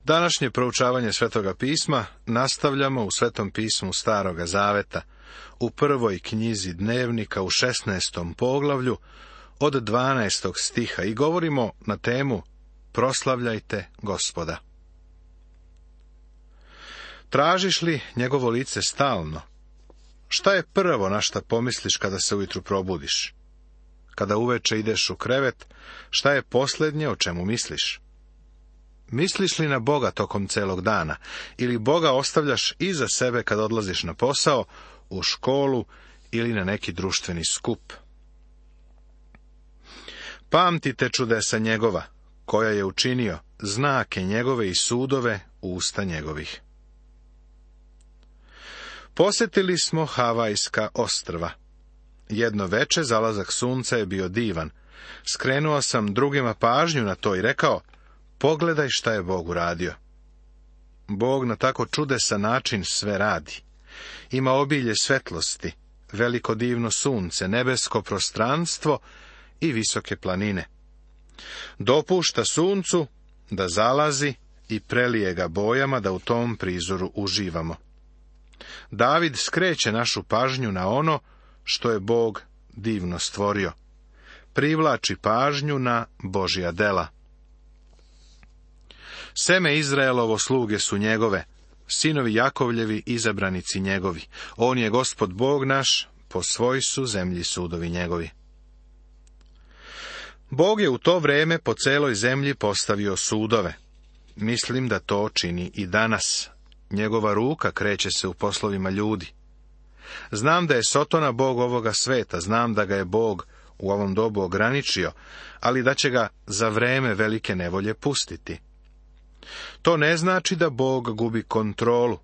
Današnje proučavanje Svetoga pisma nastavljamo u Svetom pismu Staroga Zaveta, u prvoj knjizi Dnevnika u 16. poglavlju od 12. stiha i govorimo na temu Proslavljajte Gospoda. Tražiš li njegovo lice stalno? Šta je prvo na šta pomisliš kada se ujutru probudiš? Kada uveče ideš u krevet, šta je posljednje o čemu misliš? Misliš li na Boga tokom celog dana ili Boga ostavljaš iza sebe kad odlaziš na posao, u školu ili na neki društveni skup? Pamtite čudesa njegova, koja je učinio, znake njegove i sudove usta njegovih. Posjetili smo Havajska ostrva. Jedno veče zalazak sunca je bio divan. Skrenuo sam drugima pažnju na to i rekao, pogledaj šta je Bog uradio. Bog na tako čudesan način sve radi. Ima obilje svetlosti, veliko divno sunce, nebesko prostranstvo i visoke planine. Dopušta suncu da zalazi i prelije ga bojama da u tom prizoru uživamo. David skreće našu pažnju na ono što je Bog divno stvorio. Privlači pažnju na Božja dela. Seme Izraelovo sluge su njegove, sinovi Jakovljevi izabranici njegovi. On je Gospod Bog naš, po svoj su zemlji sudovi njegovi. Bog je u to vreme po celoj zemlji postavio sudove. Mislim da to čini i danas. Njegova ruka kreće se u poslovima ljudi. Znam da je Sotona Bog ovoga sveta, znam da ga je Bog u ovom dobu ograničio, ali da će ga za vreme velike nevolje pustiti. To ne znači da Bog gubi kontrolu.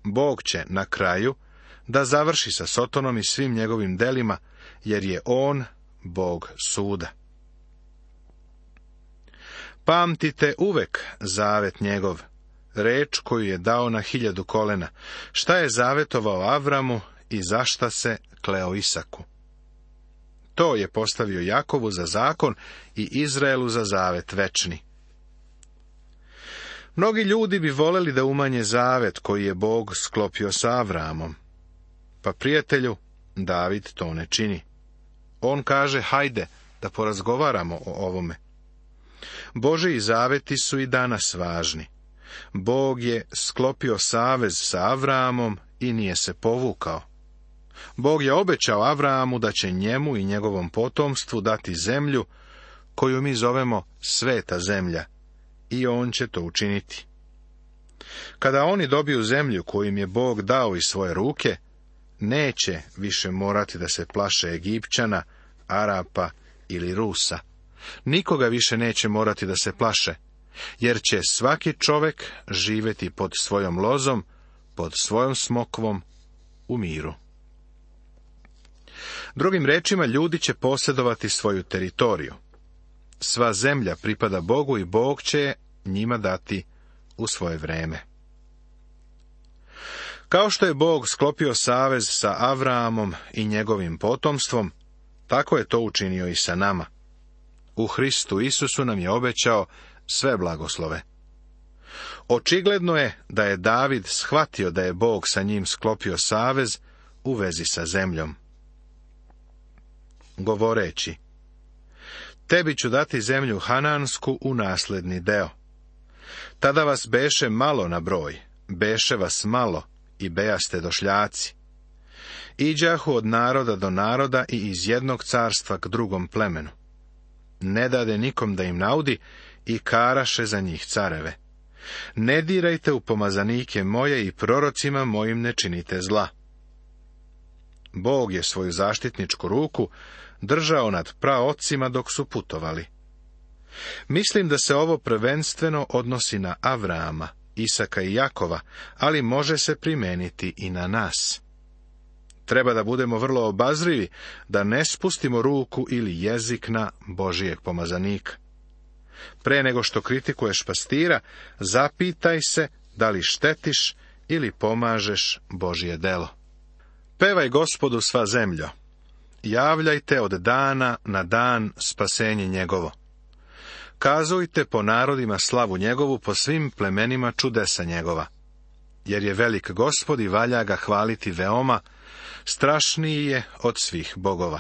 Bog će na kraju da završi sa Sotonom i svim njegovim delima, jer je on Bog suda. Pamtite uvek zavet njegov, reč koju je dao na 1000 kolena, šta je zavetovao Avramu i za šta se kleo Isaku. To je postavio Jakovu za zakon i Izraelu za zavet večni. Mnogi ljudi bi voleli da umanje zavet koji je Bog sklopio sa Avramom. Pa prijatelju, David to ne čini. On kaže, hajde da porazgovaramo o ovome. Božji zaveti su i danas važni. Bog je sklopio savez sa Avramom i nije se povukao. Bog je obećao Avramu da će njemu i njegovom potomstvu dati zemlju koju mi zovemo sveta zemlja, i on će to učiniti. Kada oni dobiju zemlju koju im je Bog dao iz svoje ruke, neće više morati da se plaše Egipćana, Arapa ili Rusa. Nikoga više neće morati da se plaše, jer će svaki čovek živjeti pod svojom lozom, pod svojom smokvom, u miru. Drugim rečima, ljudi će posjedovati svoju teritoriju. Sva zemlja pripada Bogu i Bog će je njima dati u svoje vreme. Kao što je Bog sklopio savez sa Avraamom i njegovim potomstvom, tako je to učinio i sa nama. U Hristu Isusu nam je obećao sve blagoslove. Očigledno je da je David shvatio da je Bog sa njim sklopio savez u vezi sa zemljom. Govoreći, tebi ću dati zemlju Hanansku u nasledni deo. Tada vas beše malo na broj, beše vas malo i bejaste došljaci. Iđahu od naroda do naroda i iz jednog carstva k drugom plemenu. Ne dade nikom da im naudi i karaše za njih careve. Ne dirajte u pomazanike moje i prorocima mojim ne činite zla. Bog je svoju zaštitničku ruku držao nad praocima dok su putovali. Mislim da se ovo prvenstveno odnosi na Avrama, Isaka i Jakova, ali može se primeniti i na nas. Treba da budemo vrlo obazrivi, da ne spustimo ruku ili jezik na Božijeg pomazanika. Pre nego što kritikuješ pastira, zapitaj se da li štetiš ili pomažeš Božje delo. Pevaj Gospodu sva zemljo. Javljajte od dana na dan spasenje njegovo. Kazujte po narodima slavu njegovu, po svim plemenima čudesa njegova. Jer je velik Gospod i valja ga hvaliti veoma, strašniji je od svih bogova.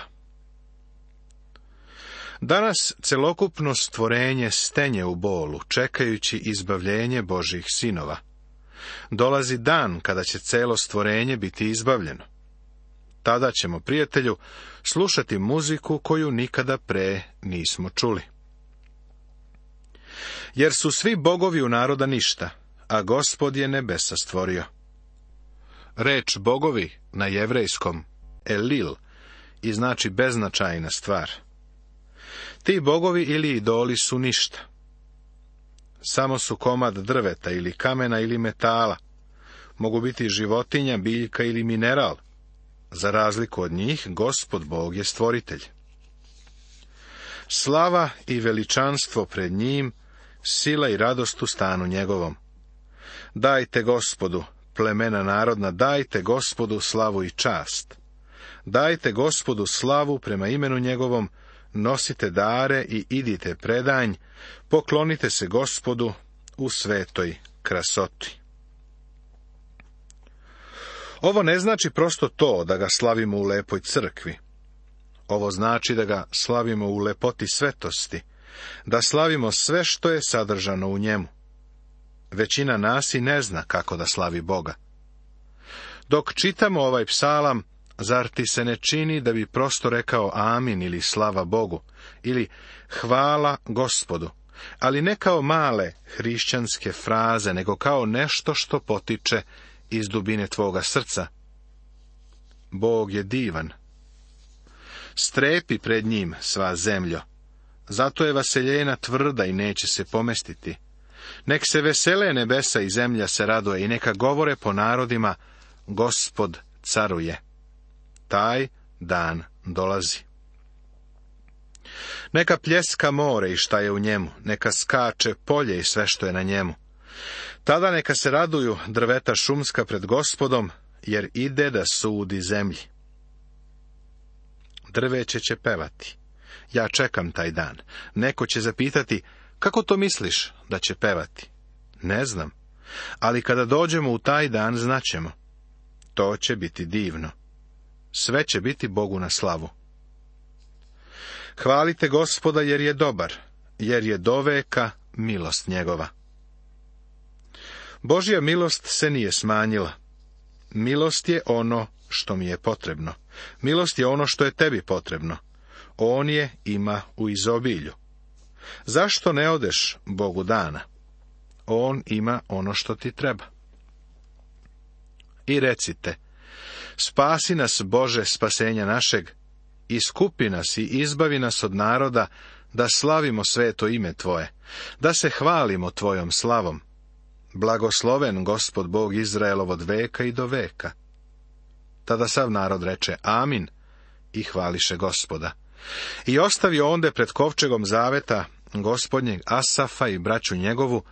Danas celokupno stvorenje stenje u bolu, čekajući izbavljenje Božjih sinova. Dolazi dan kada će celo stvorenje biti izbavljeno. Tada ćemo, prijatelju, slušati muziku koju nikada pre nismo čuli. Jer su svi bogovi u naroda ništa, a Gospod je nebesa stvorio. Reč bogovi na jevrejskom elil i znači beznačajna stvar. Ti bogovi ili idoli su ništa. Samo su komad drveta ili kamena ili metala. Mogu biti životinja, biljka ili mineral. Za razliku od njih, Gospod Bog je stvoritelj. Slava i veličanstvo pred njim, sila i radost u stanu njegovom. Dajte Gospodu, plemena narodna, dajte Gospodu slavu i čast. Dajte Gospodu slavu prema imenu njegovom, nosite dare i idite predanj, poklonite se Gospodu u svetoj krasoti. Ovo ne znači prosto to da ga slavimo u lepoj crkvi. Ovo znači da ga slavimo u lepoti svetosti, da slavimo sve što je sadržano u njemu. Većina nas i ne zna kako da slavi Boga. Dok čitamo ovaj psalam, zar ti se ne čini da bi prosto rekao amin ili slava Bogu, ili hvala Gospodu, ali ne kao male hrišćanske fraze, nego kao nešto što potiče iz dubine tvoga srca. Bog je divan. Strepi pred njim, sva zemljo. Zato je vaseljena tvrda i neće se pomestiti. Nek se vesele nebesa i zemlja se raduje i neka govore po narodima, Gospod caruje. Taj dan dolazi. Neka pljeska more i šta je u njemu, neka skače polje i sve što je na njemu. Tada neka se raduju drveta šumska pred Gospodom, jer ide da sudi zemlji. Drveće će pevati. Ja čekam taj dan. Neko će zapitati, kako to misliš da će pevati? Ne znam, ali kada dođemo u taj dan znaćemo. To će biti divno. Sve će biti Bogu na slavu. Hvalite Gospoda jer je dobar, jer je doveka milost njegova. Božja milost se nije smanjila. Milost je ono što mi je potrebno. Milost je ono što je tebi potrebno. On je ima u izobilju. Zašto ne odeš Bogu dana? On ima ono što ti treba. I recite, spasi nas Bože spasenja našeg, iskupi nas i izbavi nas od naroda, da slavimo sveto ime Tvoje, da se hvalimo Tvojom slavom. Blagosloven Gospod Bog Izraelov od veka i do veka. Tada sav narod reče amin i hvališe Gospoda. I ostavio onde pred kovčegom zaveta Gospodnjeg Asafa i braću njegovu,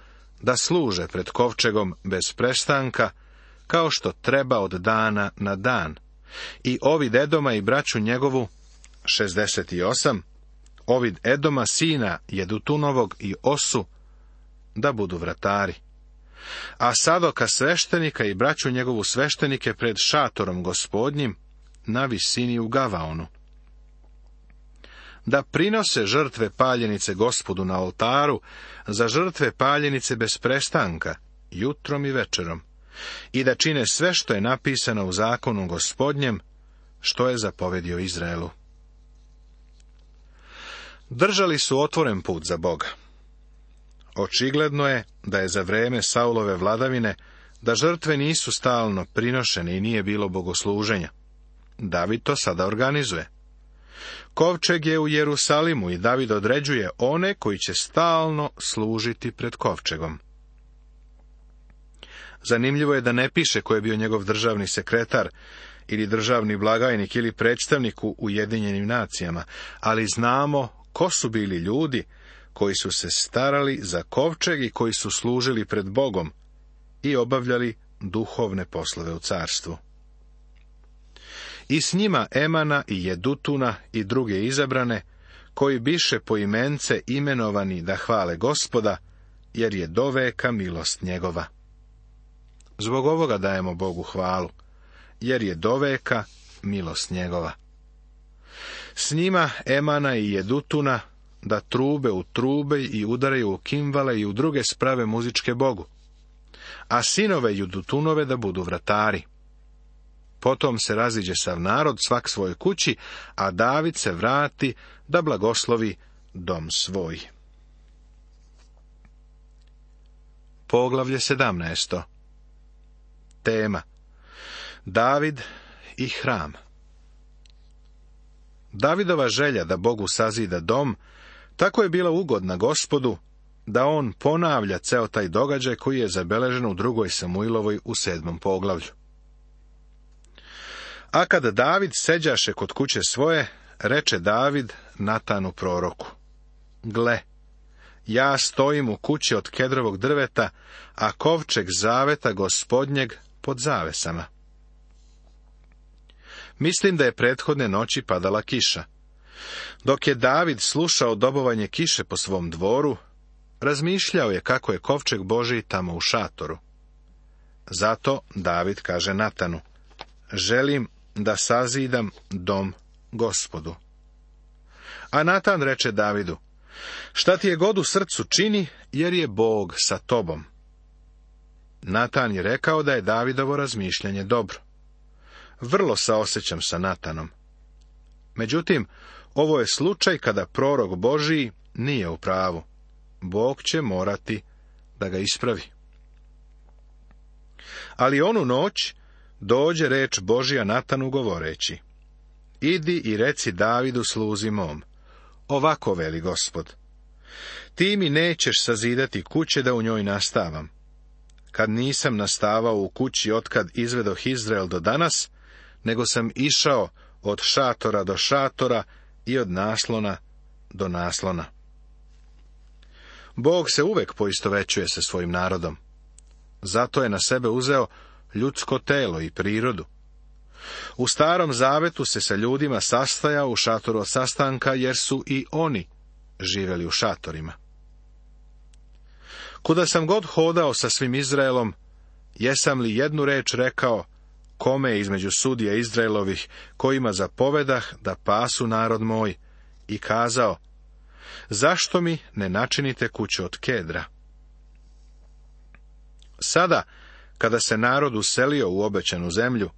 da služe pred kovčegom bez prestanka, kao što treba od dana na dan. I Ovid Edoma i braću njegovu, 68, Ovid Edoma sina Jedutunovog i Osu, da budu vratari. A Sadoka sveštenika i braću njegovu sveštenike pred šatorom Gospodnjim, na visini u Gavaonu. Da prinose žrtve paljenice Gospodu na oltaru, za žrtve paljenice bez prestanka, jutrom i večerom, i da čine sve što je napisano u zakonu Gospodnjem, što je zapovedio Izraelu. Držali su otvoren put za Boga. Očigledno je da je za vreme Saulove vladavine, da žrtve nisu stalno prinošene i nije bilo bogosluženja. David to sada organizuje. Kovčeg je u Jerusalimu i David određuje one koji će stalno služiti pred kovčegom. Zanimljivo je da ne piše ko je bio njegov državni sekretar ili državni blagajnik ili predstavnik u Ujedinjenim nacijama, ali znamo ko su bili ljudi koji su se starali za kovčeg i koji su služili pred Bogom i obavljali duhovne poslove u carstvu. I s njima Emana i Jedutuna i druge izabrane, koji biše poimence imenovani da hvale Gospoda, jer je doveka milost njegova. Zbog ovoga dajemo Bogu hvalu, jer je doveka milost njegova. S njima Emana i Jedutuna da trube u trube i udaraju u kimvale i u druge sprave muzičke Bogu, a sinove Jedutunove da budu vratari. Potom se raziđe sav narod svak svoj kući, a David se vrati da blagoslovi dom svoj. Poglavlje 17. Tema: David i hram. Davidova želja da Bogu sazida dom tako je bila ugodna Gospodu, da on ponavlja ceo taj događaj koji je zabeležen u 2. Samuilovoj u 7. poglavlju. A kad David seđaše kod kuće svoje, reče David Natanu proroku: Gle, ja stojim u kući od kedrovog drveta, a kovčeg zaveta Gospodnjeg pod zavesama. Mislim da je prethodne noći padala kiša. Dok je David slušao dobovanje kiše po svom dvoru, razmišljao je kako je kovčeg Božji tamo u šatoru. Zato David kaže Natanu: Želim da sazidam dom Gospodu. A Natan reče Davidu: Šta ti je god u srcu čini, jer je Bog sa tobom. Natan je rekao da je Davidovo razmišljanje dobro. Vrlo saosećam sa Natanom. Međutim, ovo je slučaj kada prorok Božiji nije u pravu. Bog će morati da ga ispravi. Ali onu noć dođe reč Božja Natanu govoreći: Idi i reci Davidu sluzi mom, ovako veli Gospod: Ti mi nećeš sazidati kuće da u njoj nastavam. Kad nisam nastavao u kući otkad izvedoh Izrael do danas, nego sam išao od šatora do šatora i od naslona do naslona. Bog se uvek poistovećuje sa svojim narodom. Zato je na sebe uzeo ljudsko telo i prirodu. U Starom Zavetu se sa ljudima sastajao u šatoru od sastanka, jer su i oni živjeli u šatorima. Kuda sam god hodao sa svim Izraelom, jesam li jednu reč rekao kome između sudija Izraelovih, kojima zapovedah da pasu narod moj, i kazao: Zašto mi ne načinite kuću od kedra? Sada, kada se narod uselio u obećanu zemlju,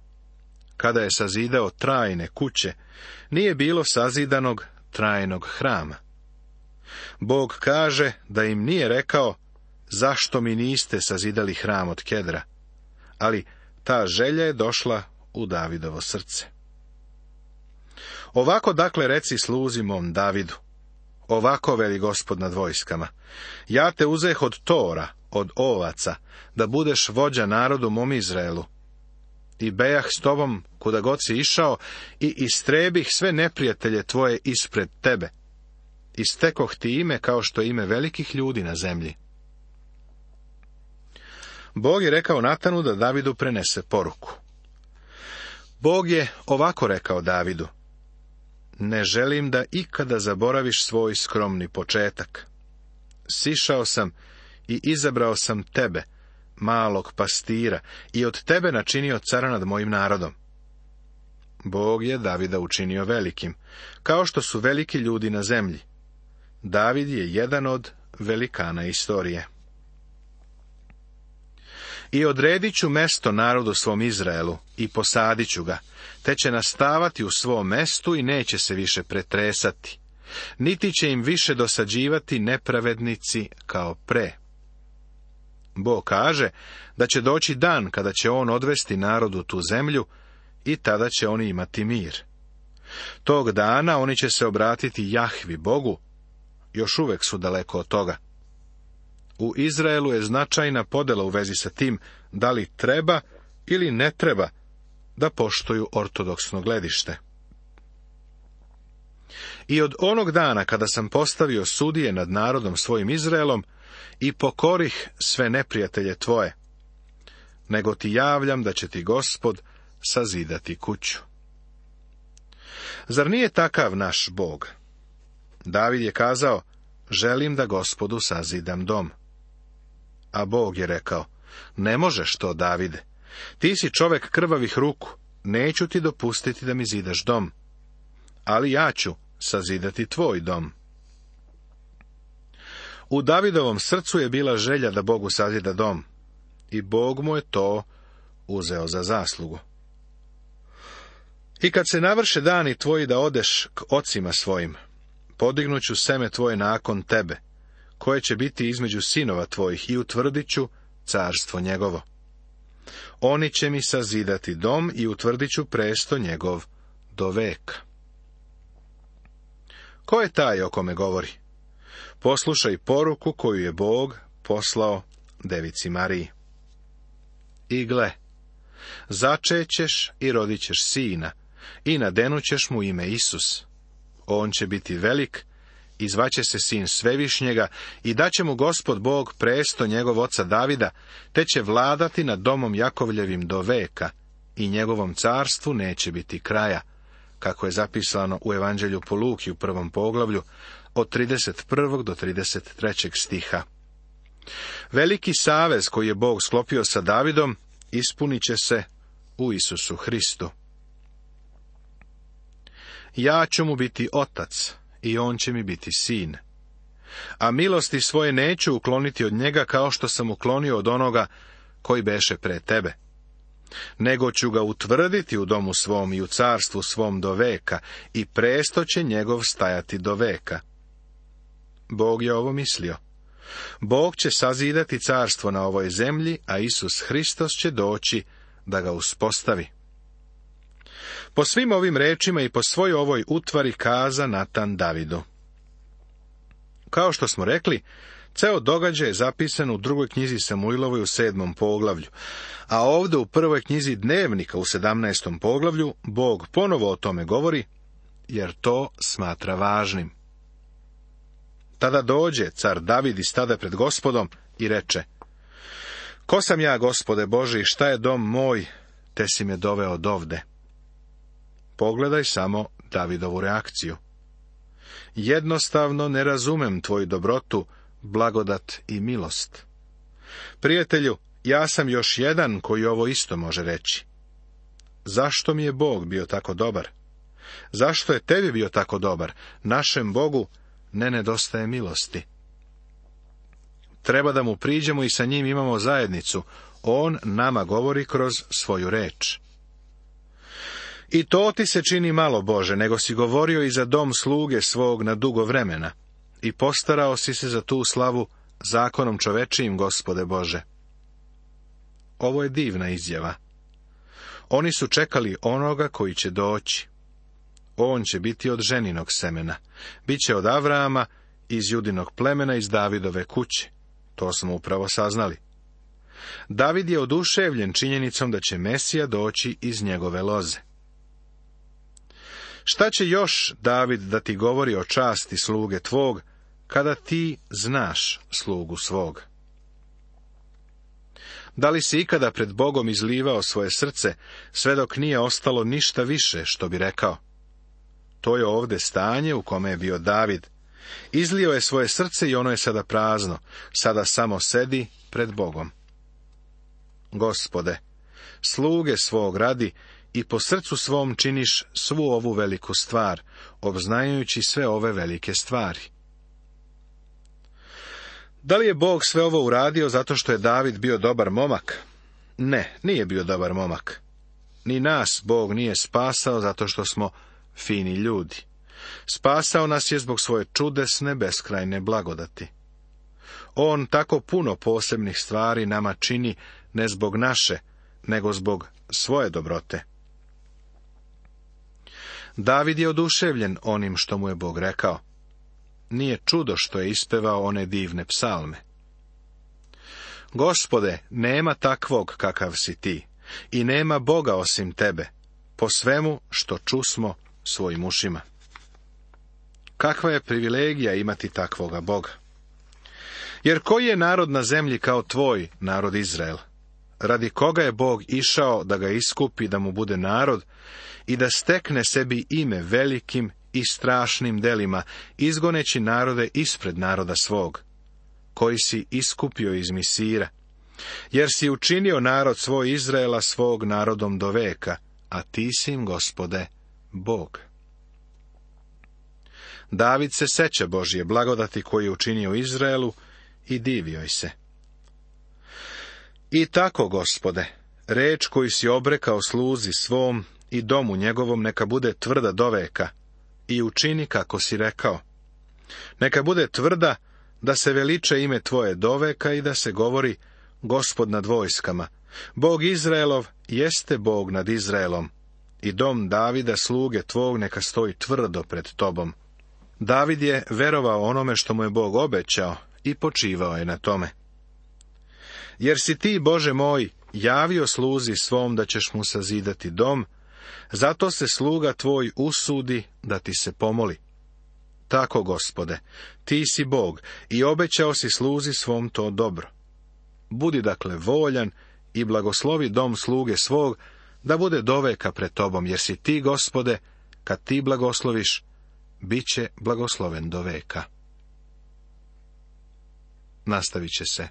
kada je sazidao trajne kuće, nije bilo sazidanog trajnog hrama. Bog kaže da im nije rekao: Zašto mi niste sazidali hram od kedra? Ali ta želja je došla u Davidovo srce. Ovako dakle reci sluzi mom Davidu: Ovako veli Gospod nad vojskama: Ja te uzeh od tora, od ovaca, da budeš vođa narodu mom Izraelu. I bejah s tobom kuda god si išao i istrebih sve neprijatelje tvoje ispred tebe. I stekoh ti ime kao što je ime velikih ljudi na zemlji. Bog je rekao Natanu da Davidu prenese poruku. Bog je ovako rekao Davidu: Ne želim da ikada zaboraviš svoj skromni početak. Sišao sam i izabrao sam tebe, malog pastira, i od tebe načinio cara nad mojim narodom. Bog je Davida učinio velikim, kao što su veliki ljudi na zemlji. David je jedan od velikana istorije. I odredit ću mesto narodu svom Izraelu i posadit ću ga, te će nastavati u svom mestu i neće se više pretresati, niti će im više dosađivati nepravednici kao pre. Bog kaže da će doći dan kada će on odvesti narodu tu zemlju i tada će oni imati mir. Tog dana oni će se obratiti Jahvi Bogu, još uvek su daleko od toga. U Izraelu je značajna podela u vezi sa tim da li treba ili ne treba da poštuju ortodoksno gledište. I od onog dana kada sam postavio sudije nad narodom svojim Izraelom i pokorih sve neprijatelje tvoje, nego ti javljam da će ti Gospod sazidati kuću. Zar nije takav naš Bog? David je kazao, želim da Gospodu sazidam dom. A Bog je rekao, ne možeš to, Davide. Ti si čovek krvavih ruku, neću ti dopustiti da mi zidaš dom. Ali ja ću sazidati tvoj dom. U Davidovom srcu je bila želja da Bogu sazida dom. I Bog mu je to uzeo za zaslugu. I kad se navrše dani tvoji da odeš k ocima svojim, podignuću seme tvoje nakon tebe, koje će biti između sinova tvojih, i utvrdit ću carstvo njegovo. Oni će mi sazidati dom i utvrdit ću presto njegov do veka. Ko je taj o kome govori? Poslušaj poruku koju je Bog poslao devici Mariji. I gle, začećeš i rodit ćeš sina, i nadenućeš mu ime Isus. On će biti velik, i zvaće se sin Svevišnjega, i daće mu Gospod Bog presto njegov oca Davida, te će vladati nad domom Jakovljevim do veka, i njegovom carstvu neće biti kraja, kako je zapisano u Evanđelju po Luki u 1. poglavlju, od 31. do 33. stiha. Veliki savez koji je Bog sklopio sa Davidom ispunit će se u Isusu Hristu. Ja ću mu biti otac, i on će mi biti sin. A milosti svoje neću ukloniti od njega, kao što sam uklonio od onoga koji beše pre tebe. Nego ću ga utvrditi u domu svom i u carstvu svom do veka, i presto će njegov stajati do veka. Bog je ovo mislio. Bog će sazidati carstvo na ovoj zemlji, a Isus Hristos će doći da ga uspostavi. Po svim ovim rečima i po svoj ovoj utvari kaza Natan Davidu. Kao što smo rekli, ceo događaj je zapisan u 2. knjizi Samuilovoj u 7. poglavlju, a ovdje u 1. knjizi Dnevnika u 17. poglavlju Bog ponovo o tome govori, jer to smatra važnim. Tada dođe car David i stade pred Gospodom i reče, ko sam ja, Gospode Bože, i šta je dom moj, te si me doveo dovde? Pogledaj samo Davidovu reakciju. Jednostavno ne razumem tvoju dobrotu, blagodat i milost. Prijatelju, ja sam još jedan koji ovo isto može reći. Zašto mi je Bog bio tako dobar? Zašto je tebi bio tako dobar? Našem Bogu ne nedostaje milosti. Treba da mu priđemo i sa njim imamo zajednicu. On nama govori kroz svoju reč. I to ti se čini malo, Bože, nego si govorio i za dom sluge svog na dugo vremena, i postarao si se za tu slavu zakonom čovečijim, Gospode Bože. Ovo je divna izjava. Oni su čekali onoga koji će doći. On će biti od ženinog semena, bit će od Avrama, iz Judinog plemena, iz Davidove kuće. To smo upravo saznali. David je oduševljen činjenicom da će Mesija doći iz njegove loze. Šta će još David da ti govori o časti sluge tvog, kada ti znaš slugu svog? Da li si ikada pred Bogom izlivao svoje srce, sve dok nije ostalo ništa više, što bi rekao? To je ovdje stanje u kome je bio David. Izlio je svoje srce i ono je sada prazno, sada samo sedi pred Bogom. Gospode, sluge svog radi i po srcu svom činiš svu ovu veliku stvar, obznanjujući sve ove velike stvari. Da li je Bog sve ovo uradio zato što je David bio dobar momak? Ne, nije bio dobar momak. Ni nas Bog nije spasao zato što smo fini ljudi. Spasao nas je zbog svoje čudesne, beskrajne blagodati. On tako puno posebnih stvari nama čini ne zbog naše, nego zbog svoje dobrote. David je oduševljen onim što mu je Bog rekao. Nije čudo što je ispevao one divne psalme. Gospode, nema takvog kakav si ti, i nema Boga osim tebe, po svemu što čusmo svojim ušima. Kakva je privilegija imati takvoga Boga? Jer koji je narod na zemlji kao tvoj narod Izrael? Radi koga je Bog išao da ga iskupi, da mu bude narod i da stekne sebi ime velikim i strašnim delima, izgoneći narode ispred naroda svog, koji si iskupio iz Misira, jer si učinio narod svoj Izraela svog narodom do veka, a ti si im, Gospode, Bog. David se seća Božje blagodati koju je učinio Izraelu i divi joj se. I tako, Gospode, reč koju si obrekao sluzi svom i domu njegovom neka bude tvrda doveka i učini kako si rekao. Neka bude tvrda da se veliče ime tvoje doveka i da se govori Gospod nad vojskama. Bog Izraelov jeste Bog nad Izraelom i dom Davida sluge tvog neka stoji tvrdo pred tobom. David je verovao onome što mu je Bog obećao i počivao je na tome. Jer si ti, Bože moj, javio sluzi svom da ćeš mu sazidati dom, zato se sluga tvoj usudi da ti se pomoli. Tako, Gospode, ti si Bog i obećao si sluzi svom to dobro. Budi dakle voljan i blagoslovi dom sluge svog, da bude doveka pred tobom, jer si ti, Gospode, kad ti blagosloviš, bit će blagosloven do veka. Nastavit će se